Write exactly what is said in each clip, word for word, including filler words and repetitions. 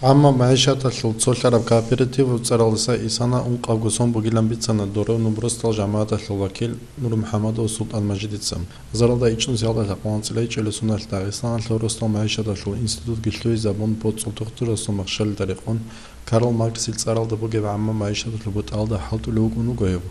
Амма магӀишаталъул цолъараб кооператив цӀаралдаса исана ункъабго сон бугилан бицана Доронов росдал жамагӀаталъул вакил НурмухӀамадов СултӀанмажидица. Заралда ичӀнусиялда лъакъ анцӀила ичӀелесуналъ Дагъистаналъул росдал магӀишаталъул институтги лъугьизабун, боцӀул тухтурасул махщалида рекъон, Карл Марксил цӀаралда бугеб гӀамма магӀишаталъул бутӀалда хӀалтӀулев вукӀун вуго гьев.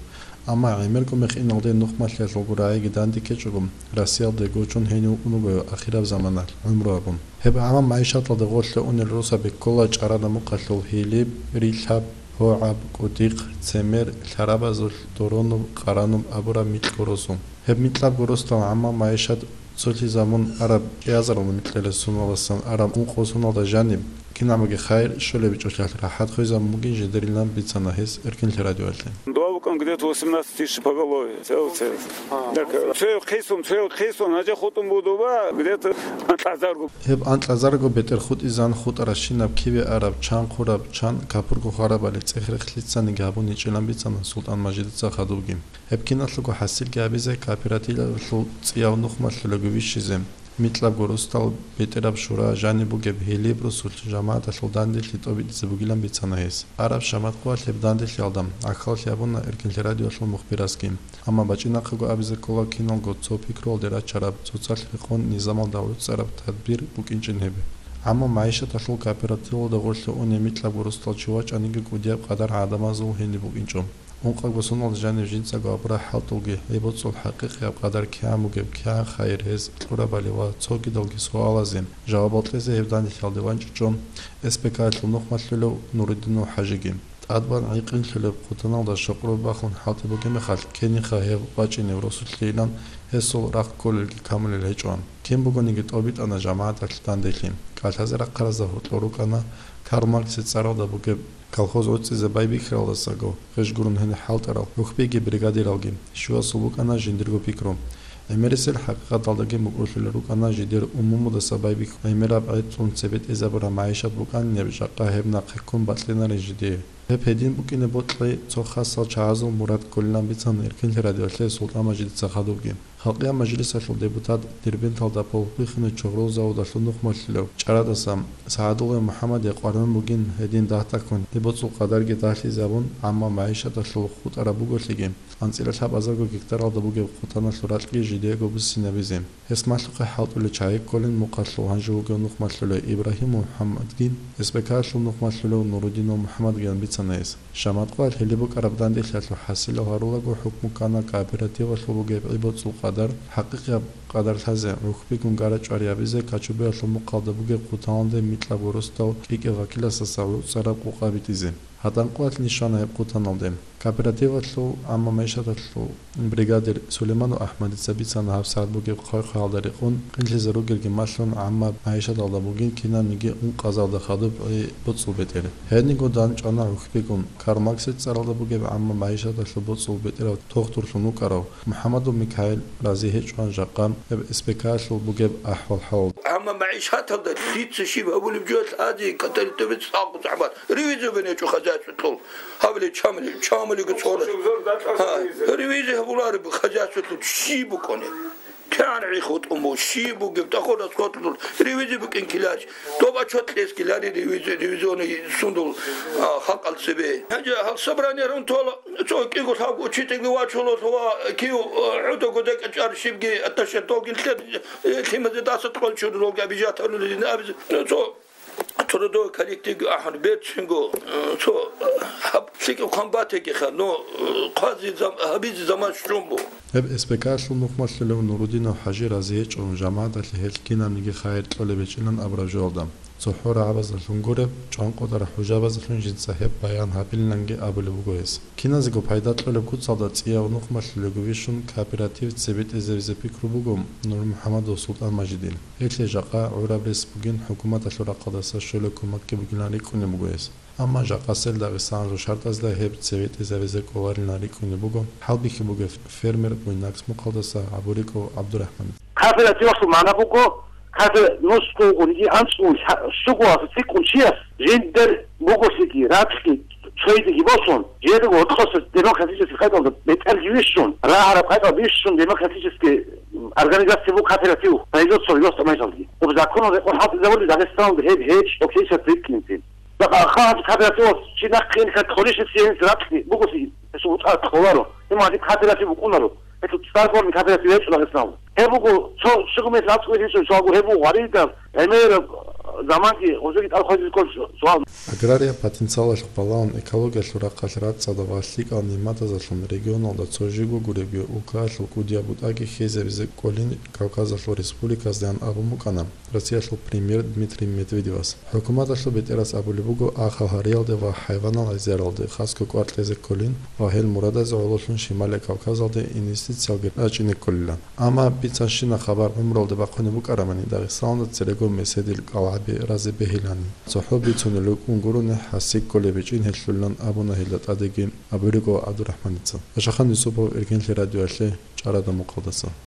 Амма гӀемерго мехиналде нухмалъиялъулго рагӀиги данде ккечӀого, Россиялде гочун гьенив вукӀун вуго гьев ахираб заманалъ гӀумру гьабун. Гьеб гӀамма магӀишаталда гъорлъе унел росаби ккола чӀарада мухъалъул Гьилиб, Рилъаб, ГьогӀаб, КӀудихъ, Цемер, Лъарабазулъ, Доронов, Къарануб абураб микьго росу. Гьеб микьабго росдал гӀамма магӀишат цолъизабун араб чӀиазарал микьилесуналдасан араб ункъо соналда жаниб, кинабги хайир щолеб чӀолъалъ рахӀат хвезабун бугин жидерилан бицана гьес Эркинлъи радиоялъе. Дова вукӀан где-то восемнадцать тысяч поголовье, целый, целый. Так, цояв хъисун, цояв хъисун, гьанже хутӀун буго дова, где-то анкьазарго. Гьеб анкьазарго бетӀер хутӀизан хутӀаращинаб киве араб, чан хъураб, чан капурго хварабали цӀех-рехлъицаниги гьабун гьечӀилан бицана СултӀанмажидица хадубги. Гьеб киналъулго хӀасилги гьабизе кооперативалъул цӀияв нухмалъулаго вищизе, микьабго росдал бетӀераб шура жаниб бугеб Гьилиб росулъ жамагӀаталъул данделъи тӀобитӀизе бугилан бицана гьес. Араб шаматкъуялъ гьеб данделъиялда гӀахьаллъи гьабуна Эркинлъи радиоялъул мухбирасги. Амма бачӀинахъего абизе ккола киналго цо пикруялде рачараб, цоцалъ рекъон низамалда гӀуцӀараб тадбир букӀинчӀин гьеб. Амма магӀишаталъул кооперативалда гъорлъе унеб микьабго росдал чи вачӀаниги кӀудияб къадар гӀадамазул гьениб букӀинчӀо. Ункъабго соналда жанив жинцаго абураб хӀалтӀулги, гьеб боцӀул хӀакъикъияб къадар кигӀан бугеб, кигӀан хайир гьез кьурабали ва цогидалги суалазе жавабал кьезе гьеб данделъиялде ванчӀичӀо С П К-ялъул нухмалъулев Нурудинов ХӀажиги. ТӀадбан гӀикъинлъулеб хъутаналда щокъроб бахун хӀалтӀи бугеб мехалъ, ккениха гьев вачӀинев росулъейилан гьесул рахъ кколелги камулел гьечӀо. Кин бугониги тӀобитӀана жамагӀаталъ данделъи. КӀалъазе рахъаразда гьоркьор рукӀана Карл Марксил цӀаралда бугеб колхоз гӀуцӀизе байбихьаралдасаго гъеж гурун гьениб хӀалтӀарал ГӀухьбиги бригадиралги. Щивасул букӀана жиндирго пикру. ГӀемерисел хӀакъикъаталдаги мукӀурлъулел рукӀана жидер умумудаса байбихьун гӀемераб гӀетӀлъун цебетӀезабураб магӀишат букӀанинаб жакъа гьеб нахъе ккун батӀинарин жидее. Гьеб гьедин букӀине бокьи цо хасал чагӀазул мурад кколилан бицана Эркинлъи радиоялъе СултӀанмажидица хадубги. Халкъиял мажлисалъул депутат, Дербенталда полбихьинай чогърол заводалъул нухмалъулев чӀарадаса СагӀадуллаев МухӀаммадие къваригӀун бугин гьедин дагь-дагьккун гьеб боцӀул къадарги дагьлъизабун, амма магӀишаталъул хутӀараб буголъиги, анцӀила лъабазарго гектаралда бугеб хъутаналъул ракьги жидеего буссинабизе. Гьес малъухъе хӀалтӀулел чагӀи кколин мухъалъул гьанже вугев нухмалъулев Ибрагьим МухӀаммадги, С П К-ялъул нухмалъулев Нурудинов МухӀаммадги бицана гьес. Шаматкъуялъ гьеле букӀараб данделъиялъул хӀасилал гьарулаго хӀукму ккана кооперативалъул бугеб гӀи-боцӀул къадар, хӀакъикъияб къадар лъазе, гӀухьбигун гара-чӀвари гьабизе Качубиялъул мухъалда бугеб хъутаналде микьабго росдал кӀикӀев вакиласдаса гӀуцӀараб къукъа битӀизе. ГьатӀанкъуялъни щвана гьеб хъутаналде. Кооперативалъул, амма магӀишаталъул бригадир Сулейманов АхӀмадица бицана гьабсагӀат бугеб хъвай-хъваялда рекъон, къинлъизе ругелги малъун, амма магӀишаталда бугин кинабниги ункъазалда хадуб гӀи-боцӀул бетӀер. Гьединго дандчӀвана гӀухьбигун, Карл Марксил цӀаралда бугеб амма магӀишаталъул боцӀул бетӀерав тухтурлъун вукӀарав МухӀаммадов Микаил рази гьечӀоан жакъа гьеб С П К-ялъул бугеб ахӀвал-хӀалалда. Амма магӀишаталда лъица щиб гьабулеб жо лъазе катаритӀубе цӀакъ зягӀмат. Ревизия бенечӀо хозяйстволъул. Гьабиле чамали, чамалиго цӀора. Гьа, ревизия гьабулареб хозяйстволъул щиб букӀунеб? КигӀан гӀи хутӀун буго, щиб бугеб, тӀахо расходлъун, ревизия букӀин килач. Доб отчет кьес килари ревизия, ревизионный сундул, а, халкъал цебе. Гьанже гьал собрание рун тола, цо кӀиго лъабго учительги вачула, ва кив, а, гӀудаго декӀачӀар щибги атташе долгин лъед, э, лъимазе даса тӀолчур долги обижать гьарулин абизе. Цо Трудовой коллективги ахӀун берцинго, э, цо, э, гьаб лъикӀаб хъван батегиха, но, э, хъвази зам-, гьабизе заман щун буго. Гьеб С П К-лъул нухмалъулев Нурудинов ХӀажи рази гьечӀо, жамагӀаталъе гьелъ кинабниги хайир кьолеб гьечӀилан абураб жоялда. ЦохӀо рагӀабаздалъун гуреб, чӀванкъотӀараб хӀужабаздалъун жинца гьеб баян гьабилинанги абулеб буго гьес. Киназего пайда кьолеб куцалда цӀияв нухмалъулего вищун кооператив цебетӀезабизе пикру буго НурмухӀамадов СултӀанмажидил. Гьелъие жакъа гӀураб рес бугин хӀукуматалъул рахъалдаса щолеб кумекги бугилан рикӀкӀунеб буго гьес. Амма жакъасел Дагъистаналъул шартӀазда гьеб цебетӀезабизе кӀоларилан рикӀкӀунеб буго хӀалбихьи бугев фермер Буйнакск мухъалдаса ГӀабуриков ГӀабдурахӀман. Кооперативалъул магӀна буго, кафе нусго унги анцӀго лъа-, щуго асацӀикӀкӀун чияс жиндер буголъиги, ракьги, цойдиги босун, жиндирго гьоркьоса демократический къайдалда бетӀерги вищун, рагӀараб къайдал бищун демократический, м, организация буго кооператив, производство росла майзалги. Об законал рекъон хӀалтӀизабули Дагъистаналда гьеб гьечӀо кесат риккинцин. Хал гьаб кооперативалъ чи нахъе ине кколищ гьесие гьениб ракьги бугони, гьесул утӀа кколаро. Гьеб гьадин кооператив букӀунаро. Гьелъул цӀар кколареб кооператив гьечӀо Дагъистаналда. Гьеб буго цо щуго мехалъ гьечӀо суал, гьеб буго гъваридаб, гӀемераб заманги гъозеги тӀад хвезабизе кколеб суал. Агрария потенциалалъухъ балагьун, экологиялъул рахъалъ рацӀцӀадаб ва лъикӀал нигӀматазулъун регионалда цо жибго гуребги улкаялъул кӀудияб бутӀаги хьезабизе кӀолин Кавказалъул республиказдаан абун букӀана Россиялъул премьер Дмитрий Медведевас. ХӀукуматалъул бетӀерас абулеб буго, ахал гьариялде ва хӀайванал гӀезаралде хасго кӀвар кьезе кколин ва гьел мурадазе гӀололъун Шималияб Кавказалде инвестициялги рачӀине кколилан. Амма бицанщина хабар гӀумруялде бахъунеб букӀарамани, Дагъистаналда церего меседил кӀалгӀаби разе бегьилани. ЦохӀо бицунел рукӀун гурони, хӀасси кколеб гьечӀин гьелъулилан абуна гьелда тӀадегин абулеб буго ГӀабдурахӀманица. Пашахан Юсупов, Иргьенлъи радиоялъе, ЧӀарадан мухъалдаса.